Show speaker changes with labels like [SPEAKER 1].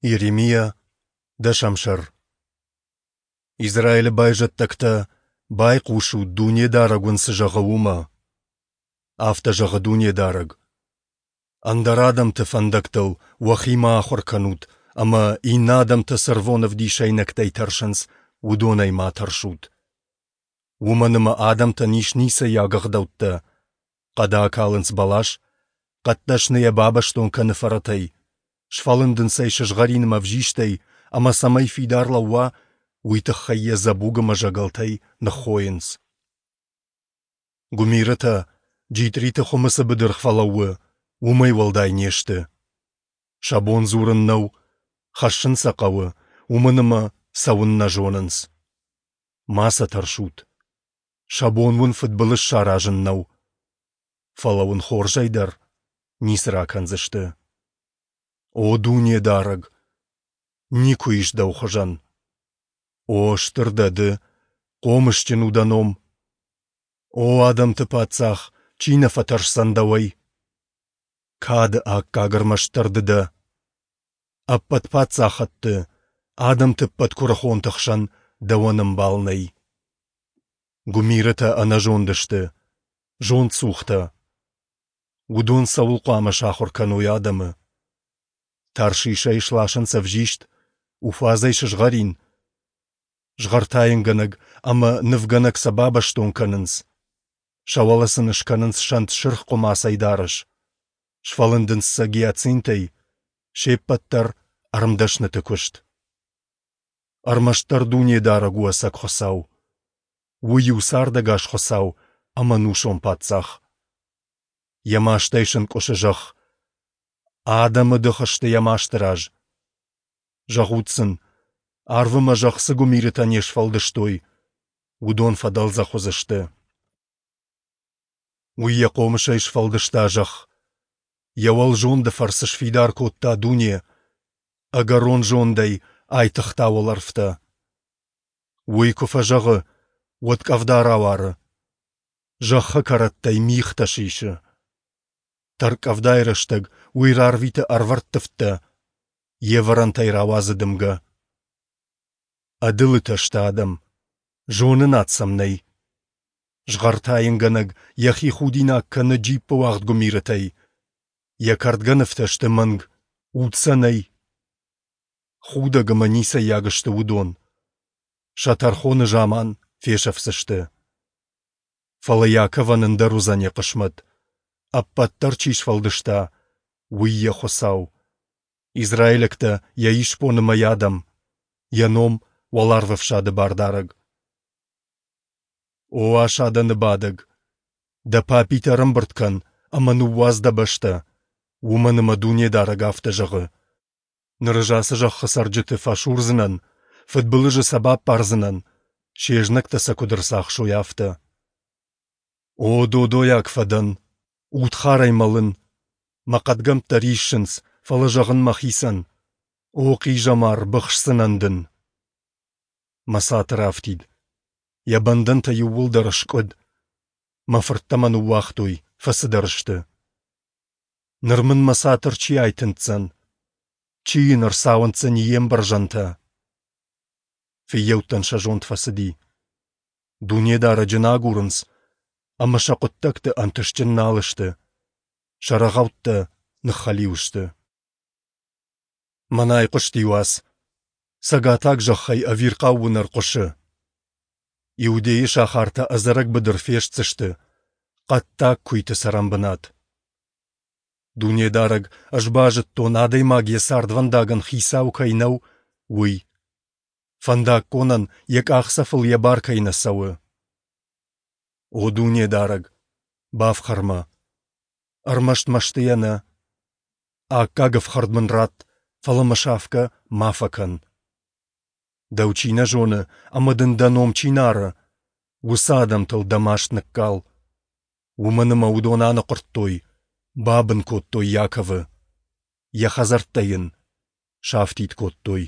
[SPEAKER 1] Йеремиа, дӕсӕм сӕр. Израилы байзӕддӕгтӕ, байхъусут, Дунедарӕг уын цы зӕгъы, уымӕ. Афтӕ зӕгъы Дунедарӕг: Ӕндӕр адӕмты фӕндӕгтыл уӕхи ма ахуыр кӕнут ӕмӕ, иннӕ адӕмтӕ цы рвон ӕвдисӕйнӕгтӕй тӕрсынц, уыдонӕй ма тӕрсут. Уымӕн ӕмӕ адӕмтӕн ис ницӕйаг ӕгъдӕуттӕ. Хъӕды акалынц бӕлас, хъӕддӕсны йӕ бабӕстон кӕны фӕрӕтӕй, сфӕлындынц ӕй сызгъӕрин ӕмӕ ӕвзистӕй, ӕмӕ цӕмӕй фидар лӕууа, уый тыххӕй йӕ дзӕбуг ӕмӕ зӕгӕлтӕй ныххойынц. Гуымирытӕ, джитъриты хуымы цы быдыргъ фӕлӕууы, уымӕй уӕлдай не сты. Сӕ бон дзурын нӕу, хӕссын сӕ хъӕуы, уымӕн ӕмӕ цӕуын нӕ зонынц. Ма сӕ тӕрсут. Сӕ бон уын фыдбылыз саразын нӕу. Фӕлӕ уын хорзӕй дӕр ницы ракӕндзысты. О Дунедарӕг! Никуы ис дӕу хуызӕн. О, стыр дӕ ды, хъомысджын у дӕ ном. О адӕмты паддзах, чи нӕ фӕтӕрсдзӕн дӕуӕй? Кады аккаг ӕрмӕстдӕр ды дӕ. Ӕппӕт паддзахӕдты, адӕмты ӕппӕт куырыхонты хсӕн дӕуӕн ӕмбал нӕй. Гуымирытӕ ӕнӕзонд сты, зондцухтӕ. Уыдон цӕуыл хъуамӕ сахуыр кӕной адӕмы? Таршишӕй сласынц ӕвзист, Уфазӕй сызгъӕрин. Згъӕртайынгӕнӕг ӕмӕ нывгӕнӕг сӕ бабӕстон кӕнынц. Сӕ уӕлӕ сын скӕнынц сӕнт сырх хъуымацӕй дарӕс. Сфӕлындынц сӕ гиацинтӕй, се ппӕт дӕр ӕрмдӕсныты куыст. Ӕрмӕстдӕр Дунедарӕг у ӕцӕг Хуыцау. Уый у цардӕгас Хуыцау ӕмӕ ӕнусон Паддзах. Йӕ мастӕй сӕнкъуысы зӕхх. Адӕмы дых сты йӕ масты раз. Зӕгъут сын, арв ӕмӕ зӕхх цы гуымирытӕ не сфӕлдыстой, уыдон фӕдӕлдзӕх уыдзысты. Уый йӕ хъомысӕй сфӕлдыста зӕхх. Йӕ уӕлзонды фӕрцы сфидар кодта дуне, ӕгӕрон зондӕй айтыгъта уӕлӕрвтӕ. Уый куы фӕзӕгъы, уӕд къӕвда рауары. Зӕххы кӕрӕттӕй мигътӕ сисы. Тӕрккъӕвдайы рӕстӕг уый рарвиты ӕрвӕрттывдтӕ, йе вӕрӕнтӕй рауадзы дымгӕ. Ӕдылытӕ сты адӕм, зонынад сӕм нӕй. Згъӕртайынгӕнӕг йӕхи худинаг кӕны джиппы уагъд гуымирытӕй. Йӕ кӕрдгӕнывтӕ сты мӕнг, уд сӕ нӕй. Худӕг ӕмӕ ницӕййаг сты уыдон. Сӕ тӕрхоны заман фесӕфдзысты. Фӕлӕ Иаковӕн ӕндӕр уыдзӕн йӕ хъысмӕт. Ӕппӕт дӕр чи сфӕлдыста, уый йӕ Хуыцау. Израилӕгтӕ йӕ исбон ӕмӕ йӕ адӕм, йӕ ном уӕларвӕфсады Бардарӕг. О асадӕны бадӕг, дӕ папитӕ ӕрӕмбырд кӕн ӕмӕ ныууадз дӕ бӕстӕ, уымӕн ӕмӕ Дунедарӕг афтӕ зӕгъы: Ныр ӕз ацы зӕххы цӕрджыты фӕсурдзынӕн, фыдбылызы сӕ баппардзынӕн, се знӕгтӕ сӕ куыд ӕрцахсой, афтӕ. О, додойаг фӕдӕн, удхарӕй мӕлын, мӕ хъӕдгӕмттӕ риссынц, фӕлӕ зӕгъын мӕхицӕн, о хъизӕмар, быхсдзынӕн дын. Мӕ цатыр афтид, йӕ бӕндӕнтӕ иууылдӕр скъуыд, мӕ фырттӕ мӕ ныууагътой, фӕцыдӕр сты. Ныр мын мӕ цатыр чи айтындздзӕн? Чи йын ӕрцауындздзӕни йе мбӕрзӕнтӕ? Фыййӕуттӕн сӕ зонд фӕцыди. Дунедарӕджы нӕ агурынц, ӕмӕ сӕ хъуыддӕгты ӕнтыстджын нал сты. Сӕ рӕгъӕуттӕ ныххӕлиу сты. Мӕнӕ айхъуысти уац. Цӕгатаг зӕххӕй ӕвирхъау уынӕр хъуысы. Иудейы сахартӕ ӕдзӕрӕг быдыр фестдзысты, хъӕддаг куыйты цӕрӕнбынат. Дунедарӕг, ӕз базыдтон, адӕймаг йӕ цардвӕндагӕн хицау кӕй нӕу, уый. Фӕндаггонӕн йӕ къахдзӕфыл йӕ бар кӕй нӕ цӕуы. О Дунедарӕг, бафхӕр мӕ. Ӕрмӕст мӕстыйӕ нӕ. Аккаг ӕфхӕрд мын ратт, фӕлӕ мӕ сафгӕ ма фӕкӕн. Дӕу чи нӕ зоны ӕмӕ дын дӕ ном чи нӕ ары, уыцы адӕмтыл дӕ маст ныккал. Уымӕн ӕмӕ уыдон аныхъуырдтой, бабын кодтой Иаковы, йӕ хӕдзӕрттӕ йын сафтид кодтой.